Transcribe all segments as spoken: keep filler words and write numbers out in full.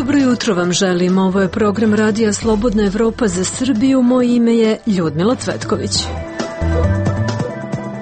Dobro jutro vam želim. Ovo je program Radija Slobodna Evropa za Srbiju. Moje ime je Ljudmila Cvetković.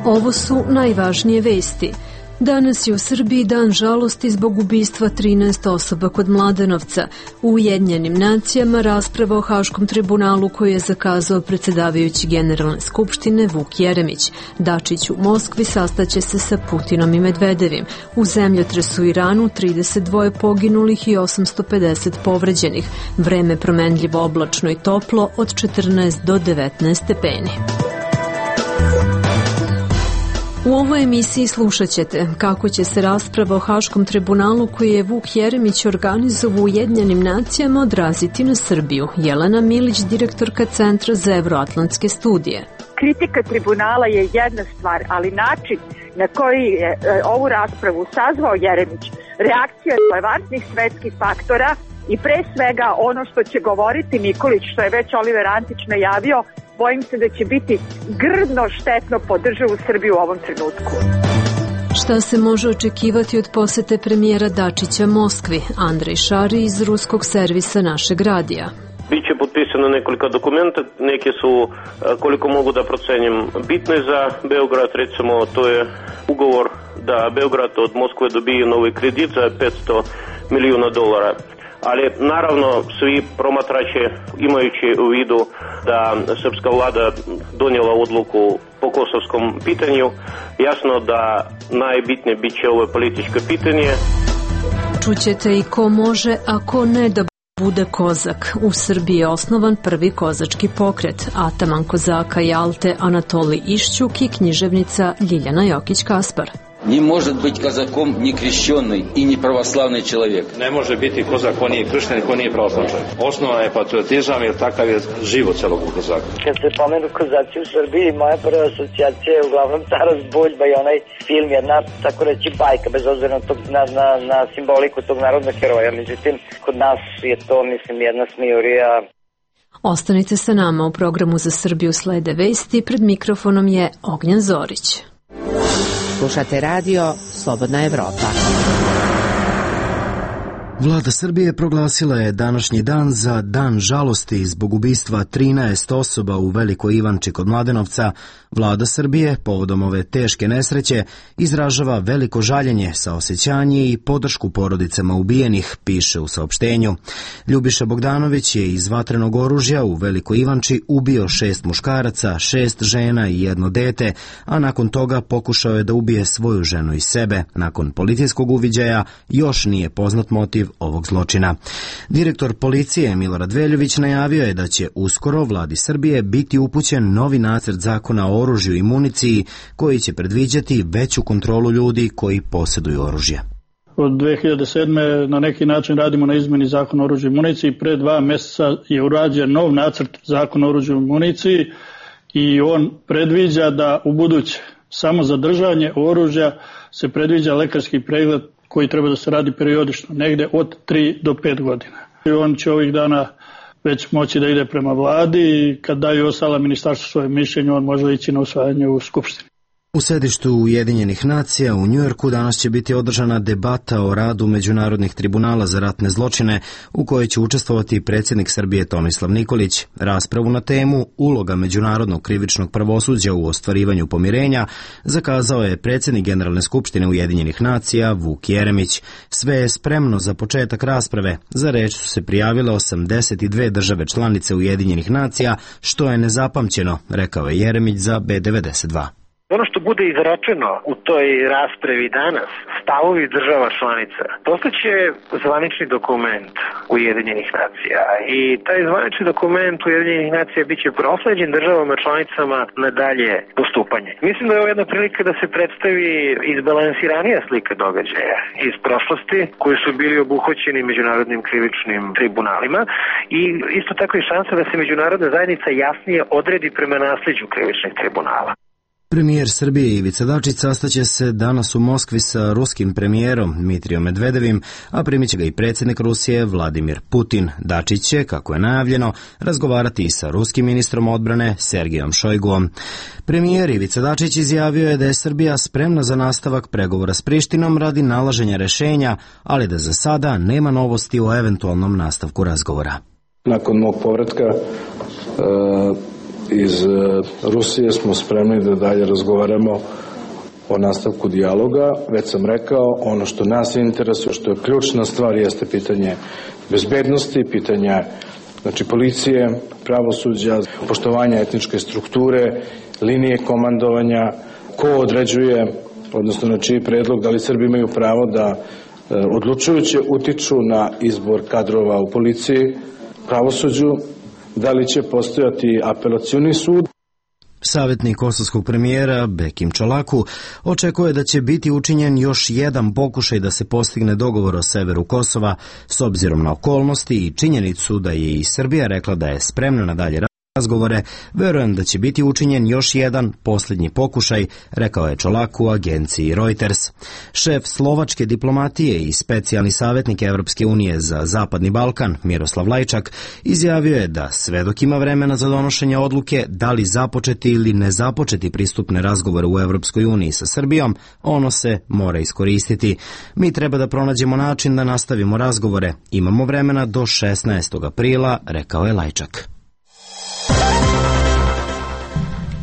Ovo su najvažnije vesti. Danas je u Srbiji dan žalosti zbog ubistva trinaest osoba kod Mladenovca. U Ujedinjenim nacijama rasprava o Haškom tribunalu koju je zakazao predsjedavajući Generalne skupštine Vuk Jeremić. Dačić u Moskvi sastaće se sa Putinom i Medvedevim. U zemljotresu u Iranu trideset dva poginulih i osamsto pedeset povređenih. Vreme promenljivo oblačno i toplo od četrnaest do devetnaest stepeni. U ovoj emisiji slušat ćete kako će se rasprava o Haškom tribunalu koji je Vuk Jeremić organizovao u Ujedinjenim nacijama odraziti na Srbiju. Jelena Milić, direktorka Centra za evroatlantske studije. Kritika tribunala je jedna stvar, ali način na koji je ovu raspravu sazvao Jeremić, reakcija relevantnih svetskih faktora i pre svega ono što će govoriti Nikolić, što je već Oliver Antić najavio, bojim se da će biti grdno štetno po državu Srbiju u ovom trenutku. Šta se može očekivati od posete premijera Dačića Moskvi? Andrej Šari iz ruskog servisa našeg radija. Biće potpisano nekoliko dokumenta, neke su, koliko mogu da procenim, bitne za Beograd. Recimo, to je ugovor da Beograd od Moskve dobije novi kredit za petsto milijuna dolara. Ali naravno svi promatrači, imajući u vidu da srpska vlada donijela odluku po kosovskom pitanju, jasno da najbitnije bit će ovo političko pitanje. Čućete i ko može, a ko ne da bude kozak. U Srbiji je osnovan prvi kozački pokret. Ataman kozaka Jalte Anatolij Išćuk i književnica Ljiljana Jokić-Kaspar. Не может быть казаком не крещенный и не православный человек. Ne može biti kozak ko nije kršten i ko nije pravoslavni čovjek. Osnova je patriotizam jer takav je život celog kozaka. Kad se pomenu kozaci u Srbiji, moja prva asocijacija je uglavnom Taras Buljba i onaj film, jedna, tako reći, bajka, bez obzira na, tog, na, na, na simboliku tog narodnog heroja. Međutim, kod nas je to, mislim, jedna smijurija. Ostanite sa nama, u programu Za Srbiju slede vesti. Pred mikrofonom je Ognjen Zorić. Slušate radio Slobodna Evropa. Vlada Srbije proglasila je današnji dan za dan žalosti zbog ubistva trinaest osoba u Velikoj Ivanči kod Mladenovca. Vlada Srbije povodom ove teške nesreće izražava veliko žaljenje, saosećanje i podršku porodicama ubijenih, piše u saopštenju. Ljubiša Bogdanović je iz vatrenog oružja u Velikoj Ivanči ubio šest muškaraca, šest žena i jedno dete, a nakon toga pokušao je da ubije svoju ženu i sebe. Nakon policijskog uviđaja još nije poznat motiv ovog zločina. Direktor policije Milorad Veljović najavio je da će uskoro vladi Srbije biti upućen novi nacrt zakona o oružju i municiji koji će predviđati veću kontrolu ljudi koji posjeduju oružje. Od dve hiljade sedme na neki način radimo na izmeni zakona o oružju i municiji. Pre dva mjeseca je urađen nov nacrt zakona o oružju i municiji i on predviđa da u buduće samo za držanje oružja se predviđa lekarski pregled koji treba da se radi periodično, negde od tri do pet godina. I on će ovih dana već moći da ide prema vladi i kad daju ostala ministarstvo svoje mišljenje, on može ići na usvajanje u Skupštini. U sedištu Ujedinjenih nacija u Njujorku danas će biti održana debata o radu međunarodnih tribunala za ratne zločine u kojoj će učestvovati predsjednik Srbije Tomislav Nikolić. Raspravu na temu uloga međunarodnog krivičnog pravosuđa u ostvarivanju pomirenja zakazao je predsjednik Generalne skupštine Ujedinjenih nacija Vuk Jeremić. Sve je spremno za početak rasprave. Za reč su se prijavile osamdeset dve države članice Ujedinjenih nacija, što je nezapamćeno, rekao je Jeremić za B devedeset dva. Ono što bude izrečeno u toj raspravi danas, stavovi država članica, postaće zvanični dokument Ujedinjenih nacija i taj zvanični dokument Ujedinjenih nacija biće prosleđen državama članicama na dalje postupanje. Mislim da je ovo jedna prilika da se predstavi izbalansiranija slika događaja iz prošlosti koji su bili obuhvaćeni međunarodnim krivičnim tribunalima i isto tako i šansa da se međunarodna zajednica jasnije odredi prema nasljeđu krivičnih tribunala. Premijer Srbije Ivica Dačić sastaće se danas u Moskvi sa ruskim premijerom Dmitrijom Medvedevim, a primit će ga i predsjednik Rusije Vladimir Putin. Dačić će, kako je najavljeno, razgovarati i sa ruskim ministrom odbrane Sergijom Šojguom. Premijer Ivica Dačić izjavio je da je Srbija spremna za nastavak pregovora s Prištinom radi nalaženja rešenja, ali da za sada nema novosti o eventualnom nastavku razgovora. Nakon mog povratka e, iz Rusije smo spremni da dalje razgovaramo o nastavku dijaloga. Već sam rekao, ono što nas interesuje, što je ključna stvar, jeste pitanje bezbednosti, pitanja znači policije, pravosuđa, poštovanja etničke strukture, linije komandovanja, ko određuje, odnosno na čiji predlog, da li Srbi imaju pravo da odlučujuće utiču na izbor kadrova u policiji, pravosuđu, da li će postojati apelacioni sud. Savjetnik kosovskog premijera Bekim Čolaku očekuje da će biti učinjen još jedan pokušaj da se postigne dogovor o severu Kosova s obzirom na okolnosti i činjenicu da je i Srbija rekla da je spremna na dalje razgovore. Verujem da će biti učinjen još jedan posljednji pokušaj, rekao je Čolaku agenciji Reuters. Šef slovačke diplomatije i specijalni savjetnik Evropske unije za Zapadni Balkan Miroslav Lajčak izjavio je da sve dok ima vremena za donošenje odluke da li započeti ili ne započeti pristupne razgovore u Evropskoj uniji sa Srbijom, ono se mora iskoristiti. Mi treba da pronađemo način da nastavimo razgovore. Imamo vremena do šesnaestog aprila, rekao je Lajčak.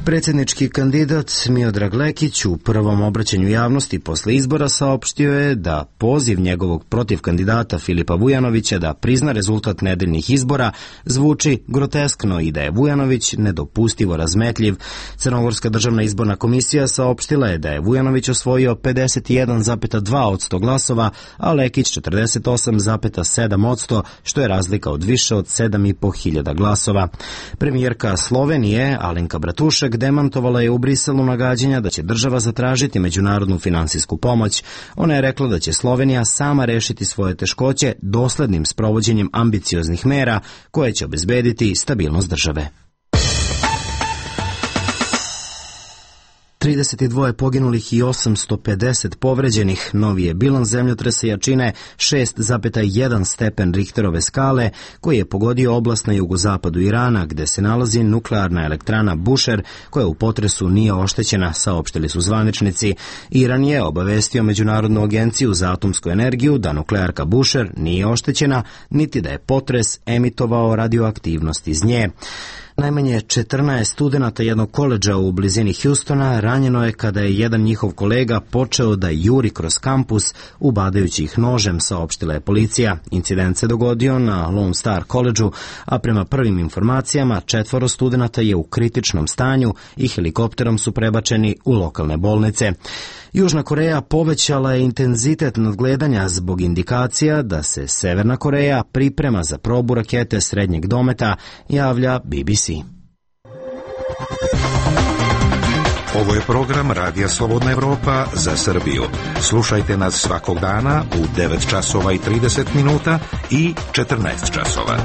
Predsjednički kandidat Miodrag Lekić u prvom obraćanju javnosti posle izbora saopštio je da poziv njegovog protiv kandidata Filipa Vujanovića da prizna rezultat nedeljnih izbora zvuči groteskno i da je Vujanović nedopustivo razmetljiv. Crnogorska državna izborna komisija saopštila je da je Vujanović osvojio pedeset jedan zarez dva posto glasova, a Lekić četrdeset osam zarez sedam posto, što je razlika od više od sedam i po hiljada glasova. Premijerka Slovenije Alenka Bratušek demantovala je u Briselu nagađanja da će država zatražiti međunarodnu finansijsku pomoć. Ona je rekla da će Slovenija sama rešiti svoje teškoće doslednim sprovođenjem ambicioznih mera koje će obezbediti stabilnost države. trideset dva poginulih i osamsto pedeset povređenih, novi je bilans zemljotresa jačine šest zarez jedan stepen Richterove skale koji je pogodio oblast na jugozapadu Irana gde se nalazi nuklearna elektrana Bushehr koja u potresu nije oštećena, saopštili su zvaničnici. Iran je obavestio Međunarodnu agenciju za atomsku energiju da nuklearka Bushehr nije oštećena niti da je potres emitovao radioaktivnost iz nje. Najmanje četrnaest studenata jednog koledža u blizini Houstona ranjeno je kada je jedan njihov kolega počeo da juri kroz kampus ubadajući ih nožem, saopštila je policija. Incident se dogodio na Lone Star koledžu, a prema prvim informacijama četvoro studenata je u kritičnom stanju i helikopterom su prebačeni u lokalne bolnice. Južna Koreja povećala je intenzitet nadgledanja zbog indikacija da se Severna Koreja priprema za probu rakete srednjeg dometa, javlja B B C. Ovo je program Radija Slobodna Evropa za Srbiju. Slušajte nas svakog dana u devet časova i trideset minuta i četrnaest časova.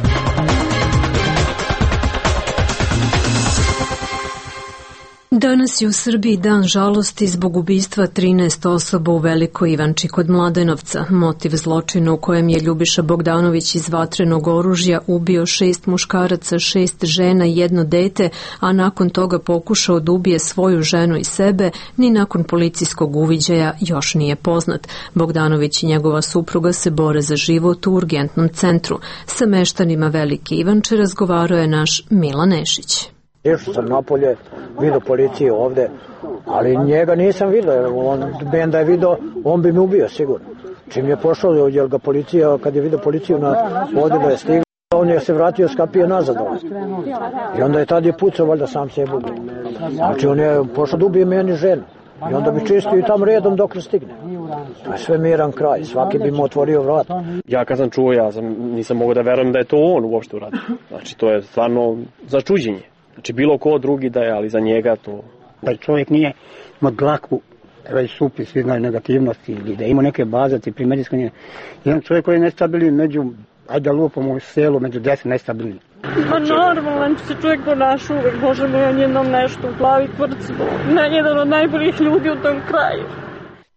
Danas je u Srbiji dan žalosti zbog ubistva trinaest osoba u Velikoj Ivanči kod Mladenovca. Motiv zločina u kojem je Ljubiša Bogdanović iz vatrenog oružja ubio šest muškaraca, šest žena i jedno dete, a nakon toga pokušao da ubije svoju ženu i sebe, ni nakon policijskog uviđaja još nije poznat. Bogdanović i njegova supruga se bore za život u urgentnom centru. Sa meštanima Velike Ivanče razgovarao je naš Milan Nešić. Išao sam napolje, vidio policiju ovde, ali njega nisam vidio. On, ben da je vidio, on bi mi ubio sigurno. Čim je pošao, jer ga policija, kad je vidio policiju na vodilu je stigla, on je se vratio, skapio nazad ovdje. I onda je tad je pucao, valjda sam se ubio. Znači on je pošao da ubije meni ženu. I onda bi čistio i tam redom dok ne stigne. To je sve miran kraj, svaki bi mu otvorio vrat. Ja kad sam čuo, ja sam, nisam mogao da verujem da je to on uopšte uradio. Znači to je stvarno začuđenje. Znači bilo ko drugi da je, ali za njega to... Da čovjek nije ima dlaku, već supi, svi znaju negativnosti, ili da ima neke baze, ti primedijsko nije. Jedan čovjek koji je nestabilan među ajde lupamo u selu među deset najstabilniji. Pa normalan se čovjek ponaša uvek, Bože moj, on jednom nešto u glavi kvrcu, jedan od najboljih ljudi u tom kraju.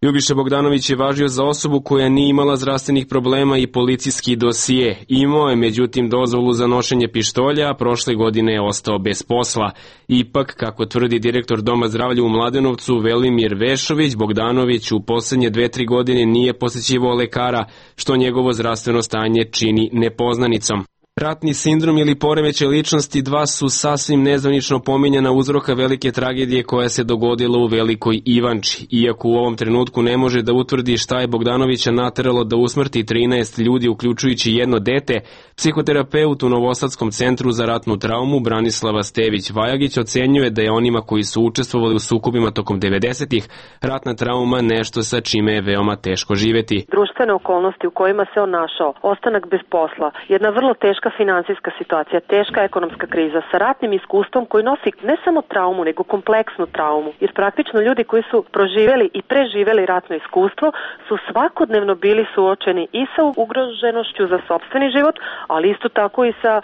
Ljubiša Bogdanović je važio za osobu koja nije imala zdravstvenih problema i policijski dosije. Imao je međutim dozvolu za nošenje pištolja, a prošle godine je ostao bez posla. Ipak, kako tvrdi direktor Doma zdravlja u Mladenovcu Velimir Vešović, Bogdanović u poslednje dve, tri godine nije posećivao lekara, što njegovo zdravstveno stanje čini nepoznanicom. Ratni sindrom ili poremećaj ličnosti dva su sasvim nezvanično pominjana uzroka velike tragedije koja se dogodila u Velikoj Ivanči. Iako u ovom trenutku ne može da utvrdi šta je Bogdanovića nateralo da usmrti trinaest ljudi, uključujući jedno dete, psihoterapeut u Novosadskom centru za ratnu traumu Branislava Stević-Vajagić ocenjuje da je onima koji su učestvovali u sukobima tokom devedesetih ratna trauma nešto sa čime je veoma teško živeti. Društvene okolnosti u kojima se on našao, ostanak bez posla, jedna vrlo teška finansijska situacija, teška ekonomska kriza sa ratnim iskustvom koji nosi ne samo traumu, nego kompleksnu traumu. Jer praktično ljudi koji su proživeli i preživeli ratno iskustvo su svakodnevno bili suočeni i sa ugroženošću za sopstveni život, ali isto tako i sa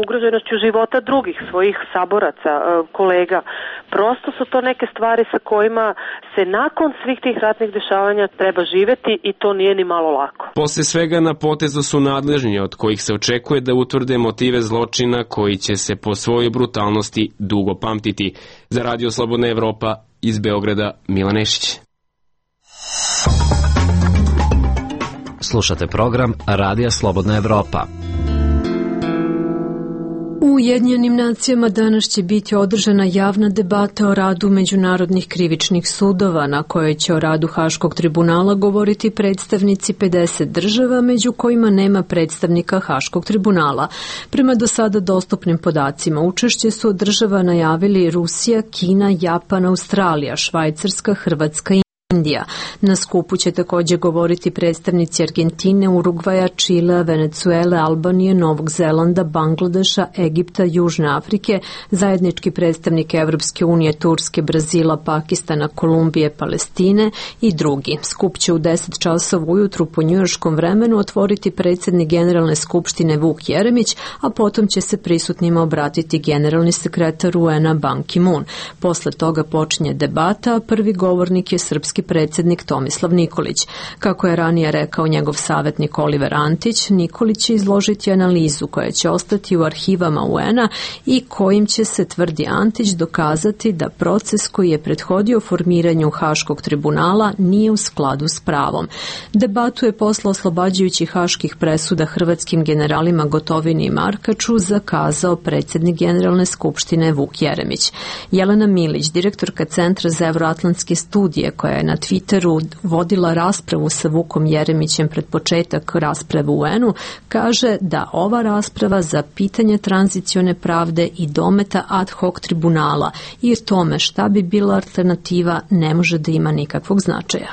ugroženošću života drugih, svojih saboraca, kolega. Prosto su to neke stvari sa kojima se nakon svih tih ratnih dešavanja treba živeti i to nije ni malo lako. Posle svega na potezu su nadležni, od kojih se očekuje da utvrde motive zločina koji će se po svojoj brutalnosti dugo pamtiti. Za Radio Slobodna Evropa iz Beograda, Milan Nešić. Slušate program Radija Slobodna Evropa. U Ujedinjenim nacijama danas će biti održana javna debata o radu međunarodnih krivičnih sudova, na kojoj će o radu Haškog tribunala govoriti predstavnici pedeset država, među kojima nema predstavnika Haškog tribunala. Prema do sada dostupnim podacima, učešće su od država najavili Rusija, Kina, Japan, Australija, Švajcarska, Hrvatska i Indija. Na skupu će također govoriti predstavnici Argentine, Urugvaja, Čilea, Venecuele, Albanije, Novog Zelanda, Bangladeša, Egipta, Južne Afrike, zajednički predstavnik Evropske unije, Turske, Brazila, Pakistana, Kolumbije, Palestine i drugi. Skup će u deset časova ujutru po njujorškom vremenu otvoriti predsjednik Generalne skupštine Vuk Jeremić, a potom će se prisutnima obratiti generalni sekretar U N-a Ban Ki-moon. Posle toga počinje debata, a prvi govornik je srpski predsjednik Tomislav Nikolić. Kako je ranije rekao njegov savjetnik Oliver Antić, Nikolić će izložiti analizu koja će ostati u arhivama U N-a i kojim će se, tvrdi Antić, dokazati da proces koji je prethodio formiranju Haškog tribunala nije u skladu s pravom. Debatu je posle oslobađajućih haških presuda hrvatskim generalima Gotovini i Markaču zakazao predsjednik Generalne skupštine Vuk Jeremić. Jelena Milić, direktorka Centra za evroatlantske studije, koja je na Twitteru vodila raspravu sa Vukom Jeremićem pred početak rasprave u U N-u, kaže da ova rasprava za pitanje tranzicione pravde i dometa ad hoc tribunala i tome šta bi bila alternativa ne može da ima nikakvog značaja.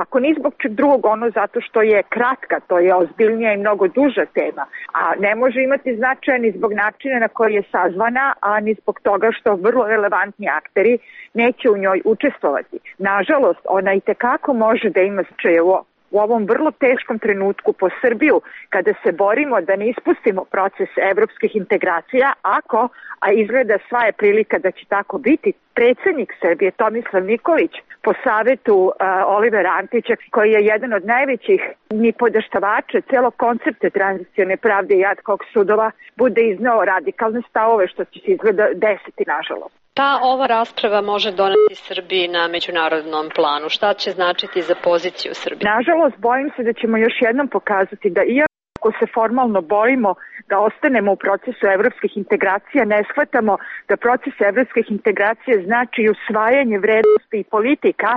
Ako ni zbog čeg drugog, ono zato što je kratka, to je ozbiljnija i mnogo duža tema, a ne može imati značaja ni zbog načina na koji je sazvana, a ni zbog toga što vrlo relevantni akteri neće u njoj učestvovati. Nažalost, ona i tekako može da ima značaja u u ovom vrlo teškom trenutku po Srbiju, kada se borimo da ne ispustimo proces evropskih integracija, ako, a izgleda sva je prilika da će tako biti, predsjednik Srbije Tomislav Nikolić po savjetu uh, Olivera Antića, koji je jedan od najvećih nipodaštavača celog koncepta tranzicione pravde i ad hoc sudova, bude izneo radikalne stavove, što će se izgleda desiti, nažalost. Ta ova rasprava može doneti Srbiji na međunarodnom planu? Šta će značiti za poziciju Srbije? Nažalost, bojim se da ćemo još jednom pokazati da iako se formalno borimo da ostanemo u procesu evropskih integracija, ne shvatamo da proces evropskih integracija znači usvajanje vrednosti i politika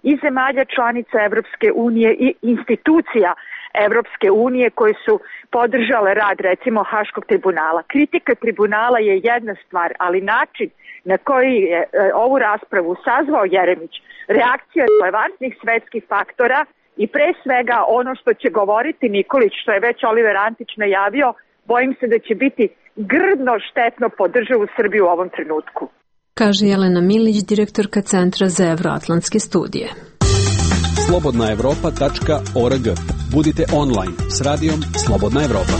i zemalja članica Evropske unije i institucija Evropske unije koje su podržale rad, recimo, Haškog tribunala. Kritika tribunala je jedna stvar, ali način na koji je e, ovu raspravu sazvao Jeremić, reakcija relevantnih svetskih faktora i pre svega ono što će govoriti Nikolić, što je već Oliver Antić najavio, bojim se da će biti grdno štetno po državu Srbiju u ovom trenutku. Kaže Jelena Milić, direktorka Centra za evroatlantske studije. slobodna evropa tačka org Budite online s radijom Slobodna Evropa.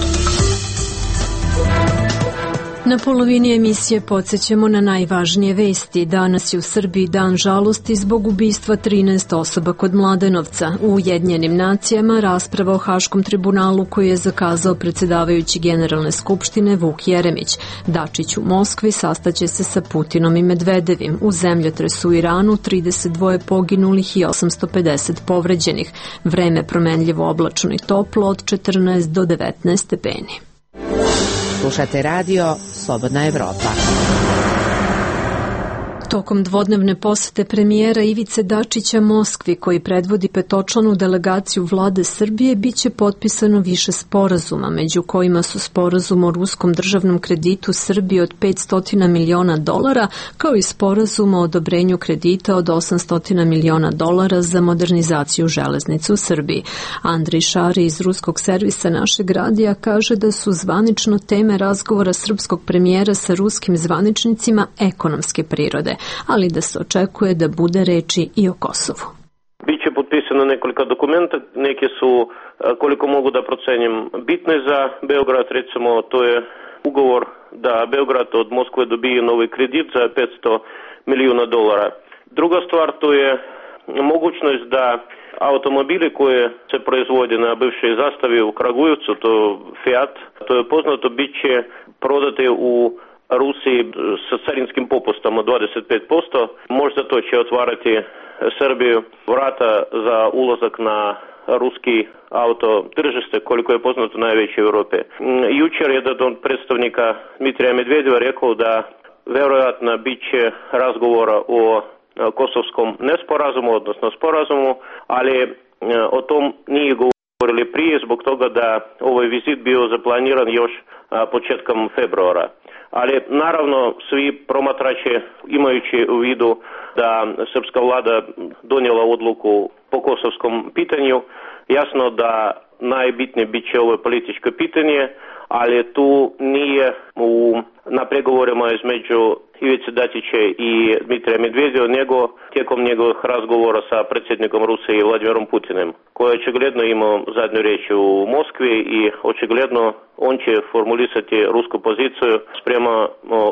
Na polovini emisije podsjećamo na najvažnije vesti. Danas je u Srbiji dan žalosti zbog ubistva trinaest osoba kod Mladenovca. U Ujedinjenim nacijama rasprava o Haškom tribunalu koji je zakazao predsjedavajući Generalne skupštine Vuk Jeremić. Dačić u Moskvi sastaće se sa Putinom i Medvedevim. U zemljotresu u Iranu trideset dva poginulih i osamsto pedeset povređenih. Vreme promenljivo oblačno i toplo od četrnaest do devetnaest stepeni. Slušate radio Slobodna Evropa. Tokom dvodnevne posete premijera Ivice Dačića Moskvi, koji predvodi petočlanu delegaciju vlade Srbije, biće potpisano više sporazuma, među kojima su sporazum o ruskom državnom kreditu Srbije od petsto miliona dolara, kao i sporazum o odobrenju kredita od osamsto miliona dolara za modernizaciju železnice u Srbiji. Andrej Šari iz ruskog servisa Našeg radija kaže da su zvanično teme razgovora srpskog premijera sa ruskim zvaničnicima ekonomske prirode, ali da se očekuje da bude reči i o Kosovu. Biće potpisano nekoliko dokumenta, neke su, koliko mogu da procenim, bitne za Beograd. Recimo, to je ugovor da Beograd od Moskve dobije novi kredit za petsto milijuna dolara. Druga stvar, to je mogućnost da automobili koje se proizvode na bivšoj zastavi u Kragujevcu, to Fiat, to je poznato, bit će prodate u Rusiji sa carinskim popustom od dvadeset pet posto. Možda to će otvarati Srbiju vrata za ulazak na ruski auto tržište, koliko je poznato najveće u Europi. Jučer je jedan od predstavnika Dmitrija Medvedeva rekao da vjerojatno bit će razgovora o kosovskom nesporazumu, odnosno sporazumu, ali o tom nije govorili prije zbog toga da ovaj vizit bio zaplaniran još početkom februara. Ali naravno svi promatrači, imajući u vidu da srpska vlada donijela odluku po kosovskom pitanju, jasno da najbitnije bit će ovo političko pitanje, ali tu nije u, na pregovorima između Ivice Dačića i Dmitrija Medvedeva, nego tijekom njegovih razgovora sa predsjednikom Rusije Vladimirom Putinim, koji očigledno imao zadnju riječ u Moskvi i očigledno on će formulisati rusku poziciju sprema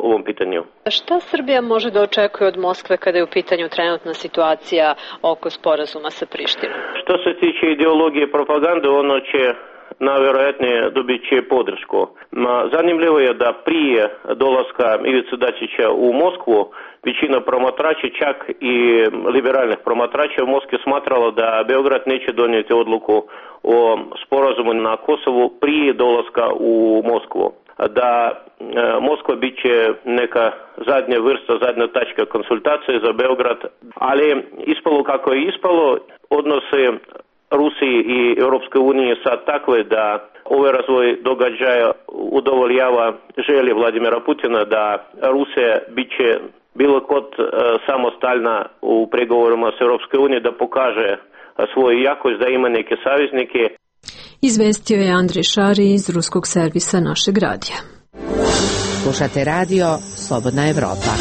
ovom pitanju. Šta Srbija može da očekuje od Moskve kada je u pitanju trenutna situacija oko sporazuma sa Prištinom? Što se tiče ideologije i propagande, ono će najvjerojatnije dobit će podršku. Zanimljivo je da prije dolaska Ivice Dačića u Moskvu većina promatrača, čak i liberalnih promatrača u Moskvi smatralo da Beograd neće donijeti odluku o sporazumu na Kosovu prije dolaska u Moskvu. Da Moskva bit će neka zadnja vrsta, zadnja tačka konsultacije za Beograd, ali ispalo kako je ispalo, odnose Rusiji i Europske unije sad takve da ovaj razvoj događaja udovoljava želje Vladimira Putina da Rusija bit će bilo kod e, samostalna u pregovorima s Europske unije, da pokaže svoju jakost, da ima neke saveznike. Izvestio je Andrej Šari iz ruskog servisa Našeg radija. Slušate radio Slobodna Evropa.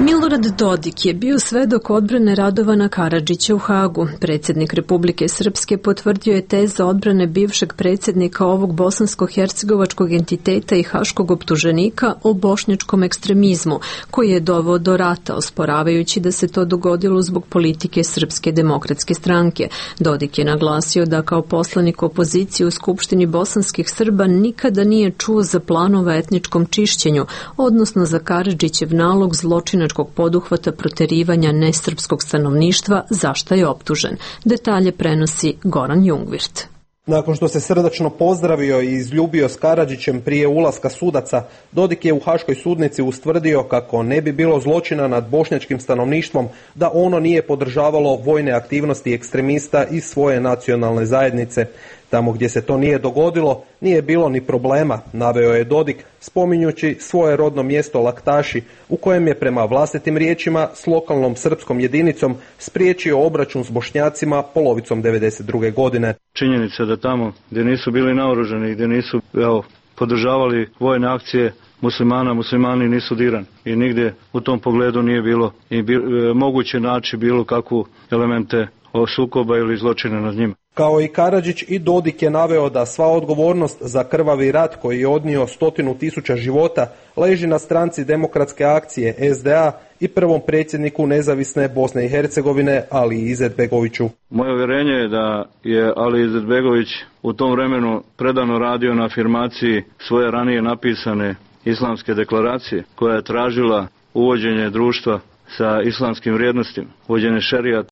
Milorad Dodik je bio svedok odbrane Radovana Karadžića u Hagu. Predsjednik Republike Srpske potvrdio je teze odbrane bivšeg predsjednika ovog bosansko-hercegovačkog entiteta i haškog optuženika o bošnjačkom ekstremizmu, koji je doveo do rata, osporavajući da se to dogodilo zbog politike Srpske demokratske stranke. Dodik je naglasio da kao poslanik opozicije u Skupštini bosanskih Srba nikada nije čuo za planova etničkom čišćenju, odnosno za Karadžićev nalog zločinačkog poduhvata proterivanja nesrpskog stanovništva, za šta je optužen. Detalje prenosi Goran Jungvirt. Nakon što se srdačno pozdravio i izljubio s Karadžićem prije ulaska sudaca, Dodik je u Haškoj sudnici ustvrdio kako ne bi bilo zločina nad bošnjačkim stanovništvom da ono nije podržavalo vojne aktivnosti ekstremista iz svoje nacionalne zajednice. Tamo gdje se to nije dogodilo, nije bilo ni problema, naveo je Dodik, spominjući svoje rodno mjesto Laktaši, u kojem je prema vlastitim riječima s lokalnom srpskom jedinicom spriječio obračun s Bošnjacima polovicom devedeset druge godine. Činjenica da tamo gdje nisu bili naoružani, gdje nisu evo, podržavali vojne akcije muslimana, muslimani nisu dirani i nigdje u tom pogledu nije bilo i bi, e, moguće naći bilo kakvu elemente o sukoba ili zločine nad njima. Kao i Karadžić, i Dodik je naveo da sva odgovornost za krvavi rat koji je odnio stotinu tisuća života leži na stranci Demokratske akcije S D A i prvom predsjedniku nezavisne Bosne i Hercegovine Aliji Izetbegoviću. Moje uvjerenje je da je Ali Izetbegović u tom vremenu predano radio na afirmaciji svoje ranije napisane islamske deklaracije koja je tražila uvođenje društva sa islamskim vrijednostima, uvođenje šerijata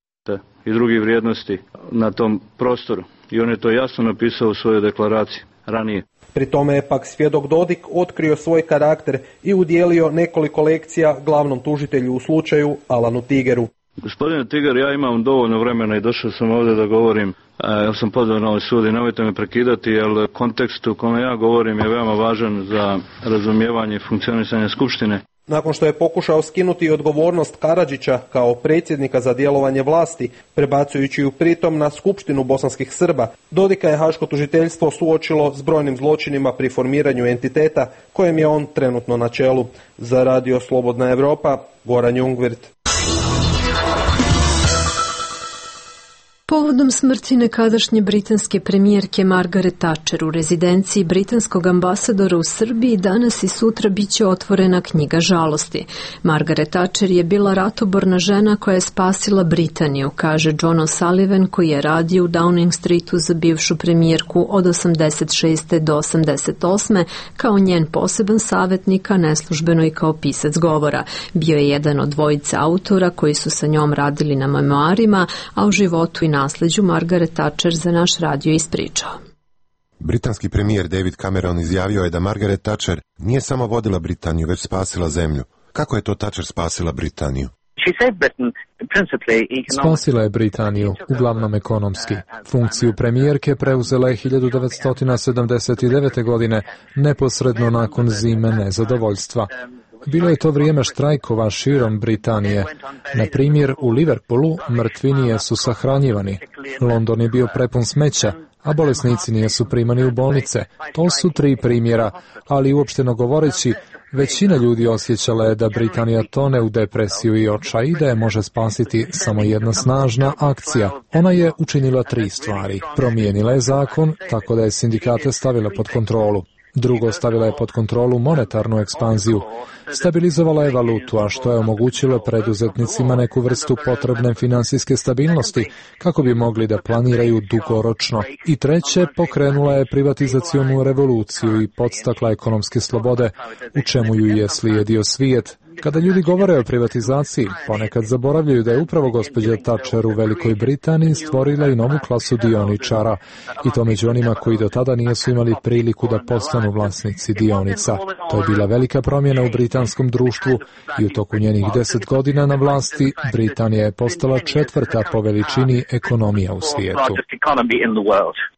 i drugih vrijednosti na tom prostoru. I on je to jasno napisao u svojoj deklaraciji ranije. Pri tome je pak svjedok Dodik otkrio svoj karakter i udjelio nekoliko lekcija glavnom tužitelju u slučaju Alanu Tigeru. Gospodine Tiger, ja imam dovoljno vremena i došao sam ovdje da govorim. Ja sam pozvao na ovaj sud i nemojte me prekidati, jer kontekst u kome ja govorim je veoma važan za razumijevanje i funkcionisanje Skupštine. Nakon što je pokušao skinuti odgovornost Karadžića kao predsjednika za djelovanje vlasti, prebacujući ju pritom na Skupštinu bosanskih Srba, Dodika je haško tužiteljstvo suočilo s brojnim zločinima pri formiranju entiteta kojem je on trenutno na čelu. Za Radio Slobodna Evropa, Goran Jungwirth. Povodom smrti nekadašnje britanske premijerke Margaret Thatcher u rezidenciji britanskog ambasadora u Srbiji danas i sutra biće otvorena knjiga žalosti. Margaret Thatcher je bila ratoborna žena koja je spasila Britaniju, kaže John O'Sullivan koji je radio u Downing Streetu za bivšu premijerku od osamdeset šeste do osamdeset osme kao njen poseban savjetnik, a neslužbeno i kao pisac govora. Bio je jedan od dvojice autora koji su sa njom radili na memoarima, a u životu i nasleđu Margaret Thatcher za naš radio ispričao. Britanski premijer David Cameron izjavio je da Margaret Thatcher nije samo vodila Britaniju, već spasila zemlju. Kako je to Thatcher spasila Britaniju? Spasila je Britaniju, uglavnom ekonomski. Funkciju premijerke preuzela je hiljadu devetsto sedamdeset devete. godine, neposredno nakon zime nezadovoljstva. Bilo je to vrijeme štrajkova širom Britanije. Na primjer, u Liverpoolu mrtvinije su sahranjivani. London je bio prepun smeća, a bolesnici nisu primani u bolnice. To su tri primjera, ali uopšteno govoreći, većina ljudi osjećala je da Britanija tone u depresiju i očaj i da je može spasiti samo jedna snažna akcija. Ona je učinila tri stvari. Promijenila je zakon tako da je sindikate stavila pod kontrolu. Drugo, stavila je pod kontrolu monetarnu ekspanziju. Stabilizovala je valutu, a što je omogućilo preduzetnicima neku vrstu potrebne finansijske stabilnosti, kako bi mogli da planiraju dugoročno. I treće, pokrenula je privatizacionu revoluciju i podstakla ekonomske slobode, u čemu ju je slijedio svijet. Kada ljudi govore o privatizaciji, ponekad zaboravljaju da je upravo gospođa Thatcher u Velikoj Britaniji stvorila i novu klasu dioničara, i to među onima koji do tada nisu imali priliku da postanu vlasnici dionica. To je bila velika promjena u britanskom društvu i u toku njenih deset godina na vlasti Britanija je postala četvrta po veličini ekonomija u svijetu.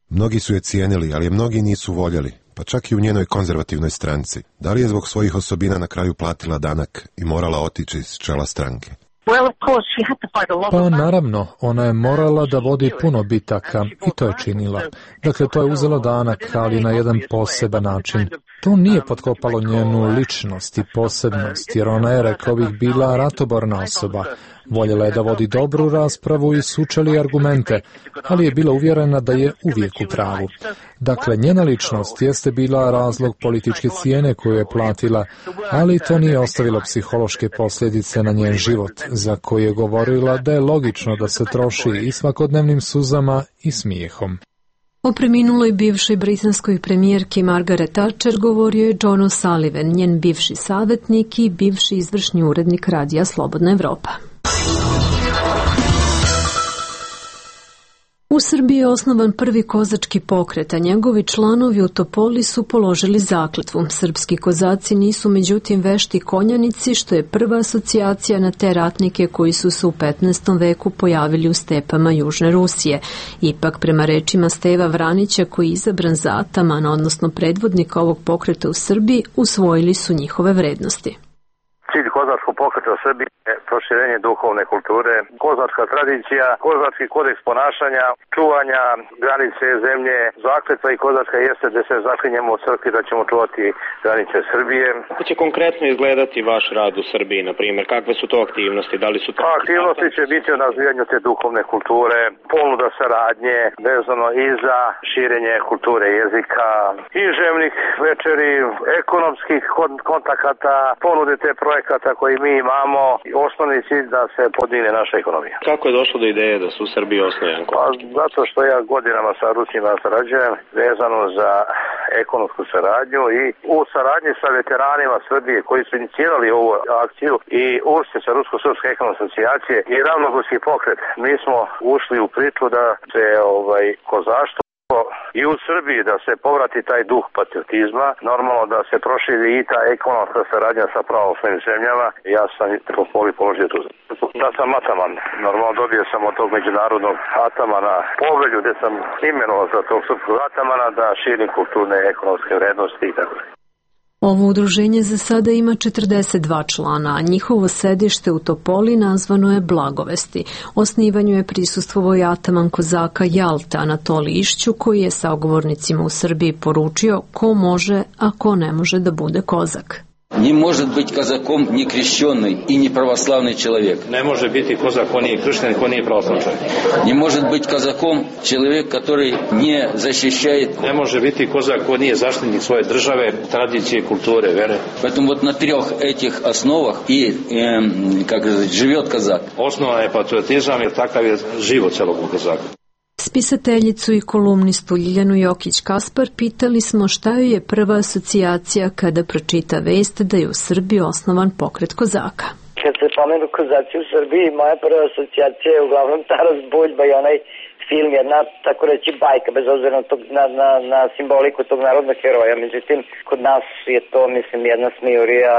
Mnogi su je cijenili, ali je mnogi nisu voljeli, pa čak i u njenoj konzervativnoj stranci. Da li je zbog svojih osobina na kraju platila danak i morala otići iz čela stranke? Pa naravno, ona je morala da vodi puno bitaka i to je činila. Dakle, to je uzelo danak, ali na jedan poseban način. To nije potkopalo njenu ličnost i posebnost, jer ona je, rekao bih, bila ratoborna osoba. Voljela je da vodi dobru raspravu i sučeli argumente, ali je bila uvjerena da je uvijek u pravu. Dakle, njena ličnost jeste bila razlog političke cijene koju je platila, ali to nije ostavilo psihološke posljedice na njen život, za koju je govorila da je logično da se troši i svakodnevnim suzama i smijehom. O preminuloj bivšoj britanskoj premijerki Margaret Thatcher govorio je John O'Sullivan, njen bivši savjetnik i bivši izvršni urednik Radija Slobodna Evropa. U Srbiji je osnovan prvi kozački pokret, a njegovi članovi u Topoli su položili zakletvu. Srpski kozaci nisu međutim vešti konjanici, što je prva asocijacija na te ratnike koji su se u petnaestom veku pojavili u stepama Južne Rusije. Ipak, prema rečima Steva Vranića, koji je izabran za atamana, odnosno predvodnika ovog pokreta u Srbiji, usvojili su njihove vrednosti. Cilj kozačkog pokreta Srbije je proširenje duhovne kulture, kozačka tradicija, kozački kodeks ponašanja, čuvanja granice zemlje, zakletva i kozačka jeste da se zaklinjemo u crkvi da ćemo čuvati granice Srbije. Kako će konkretno izgledati vaš rad u Srbiji, na primjer? Kakve su to aktivnosti? Da li su to... Aktivnosti će biti o razvijanju te duhovne kulture, ponuda saradnje, vezano i za širenje kulture jezika, književnih večeri, ekonomskih kontakata, ponude te projekata koji mi imamo, osnovni cilj da se podigne naša ekonomija. Kako je došlo do ideje da se u Srbiji osnuje Janko? Pa, zato što ja godinama sa Rusima sarađujem vezano za ekonomsku saradnju i u saradnji sa veteranima Srbije koji su inicirali ovu akciju i ušli sa Rusko-Srpske ekonomske asocijacije i ravnogorski pokret. Mi smo ušli u priču da se ovaj kozaštvo i u Srbiji da se povrati taj duh patriotizma, normalno da se proširi i ta ekonomska saradnja sa pravoslavnim zemljama. Ja sam po poli položio tu. Da sam ataman, normalno dobio sam od tog međunarodnog atamana povelju gde sam imenovao za tog srpskog atamana da širim kulturne ekonomske vrednosti i tako. Ovo udruženje za sada ima četrdeset dva člana, a njihovo sedište u Topoli nazvano je Blagovesti. Osnivanju je prisustvovao i ataman kozaka Jalta Anatolij Išću, koji je sagovornicima u Srbiji poručio ko može, a ko ne može da bude kozak. Не может быть казаком не крещенный и не православный человек. Не может быть kozak ko nije kršten, ko nije pravoslavni čovjek. Не может быть казаком человек, который не защищает. Не može biti kozak ko nije zaštitnik svoje države, tradicije, kulture, vere. Поэтому вот на трех этих основах и э, как сказать, живет казак. Osnova je patriotizam, jer takav je život celog kozaka. Spisateljicu i kolumnistu Ljiljanu Jokić-Kaspar pitali smo šta joj je prva asocijacija kada pročita vest da je u Srbiji osnovan pokret kozaka. Kad se pomenu kozaci u Srbiji, moja prva asocijacija je uglavnom Taras Buljba i onaj film, jedna, tako reći, bajka, bez obzira na, tog, na, na, na simboliku tog narodnog heroja. Međutim, kod nas je to, mislim, jedna smijurija,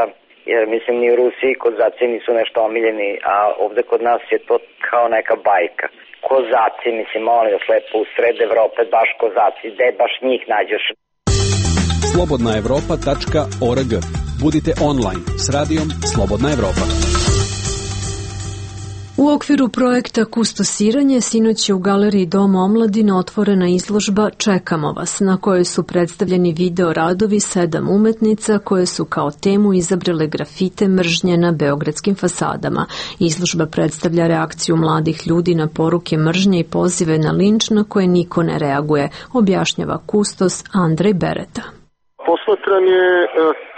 jer, mislim, ni u Rusiji kozaci nisu nešto omiljeni, a ovde kod nas je to kao neka bajka. Kozaci, mislim, molim vas lepo, u sred Evrope, baš kozaci, gde baš njih nađeš. slobodna evropa tačka org. Budite online s radijom Slobodna Evropa. U okviru projekta Kustosiranje sinoć je u galeriji Doma omladine otvorena izložba Čekamo vas, na kojoj su predstavljeni video radovi sedam umetnica koje su kao temu izabrale grafite mržnje na beogradskim fasadama. Izložba predstavlja reakciju mladih ljudi na poruke mržnje i pozive na linč na koje niko ne reaguje, objašnjava kustos Andrej Bereta. Posmatran je e,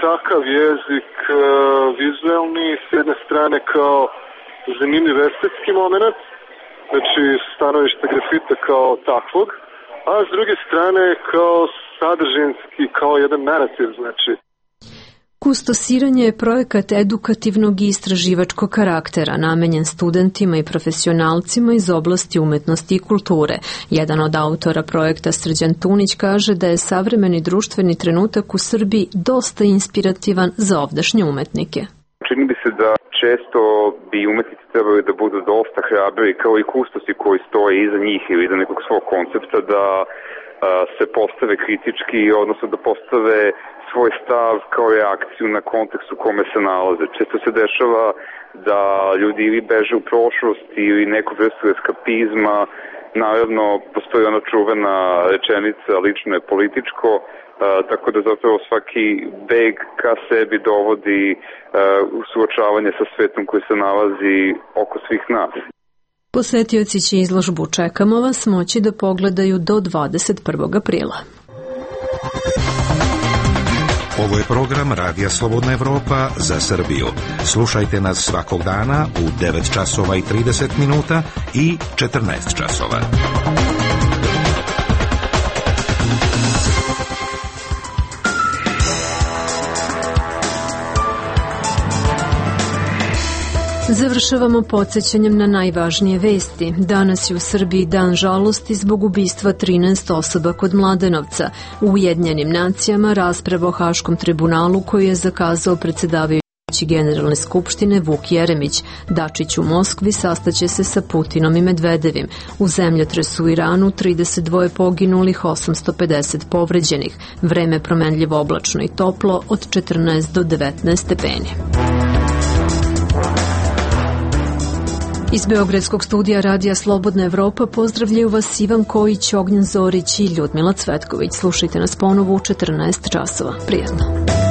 takav jezik e, vizuelni, s jedne strane kao zanimljiv estetski moment, znači stanovište grafita kao takvog, a s druge strane kao sadržinski, kao jedan narativ, znači. Kustosiranje je projekat edukativnog i istraživačkog karaktera, namenjen studentima i profesionalcima iz oblasti umetnosti i kulture. Jedan od autora projekta, Srđan Tunić, kaže da je savremeni društveni trenutak u Srbiji dosta inspirativan za ovdašnje umetnike. Čini bi se da često bi umetnici trebali da budu dosta hrabri, kao i kustosi koji stoje iza njih ili iza nekog svog koncepta, da a, se postave kritički, odnosno da postave svoj stav kao reakciju na kontekst u kome se nalaze. Često se dešava da ljudi ili beže u prošlost ili neku vrstu eskapizma. Naravno, postoji ona čuvena rečenica lično je političko, Uh, tako da zapravo svaki beg ka sebi dovodi uh, suočavanje sa svetom koji se nalazi oko svih nas. Posetioci će izložbu Čekamo vas moći da pogledaju do dvadeset prvog aprila. Ovo je program Radija Slobodna Evropa za Srbiju. Slušajte nas svakog dana u devet časova i trideset minuta i četrnaest časova. Završavamo podsjećanjem na najvažnije vesti. Danas je u Srbiji dan žalosti zbog ubistva trinaest osoba kod Mladenovca. U Ujedinjenim nacijama rasprava o Haškom tribunalu koji je zakazao predsedavajući Generalne skupštine Vuk Jeremić. Dačić u Moskvi sastaće se sa Putinom i Medvedevim. U zemljotresu u Iranu trideset dva poginulih, osamsto pedeset povređenih. Vreme promenljivo oblačno i toplo od četrnaest do devetnaest stepeni. Iz Beogradskog studija Radija Slobodna Evropa pozdravljaju vas Ivan Kojić, Ognjen Zorić i Ljudmila Cvetković. Slušajte nas ponovo u četrnaest časova. Prijetno.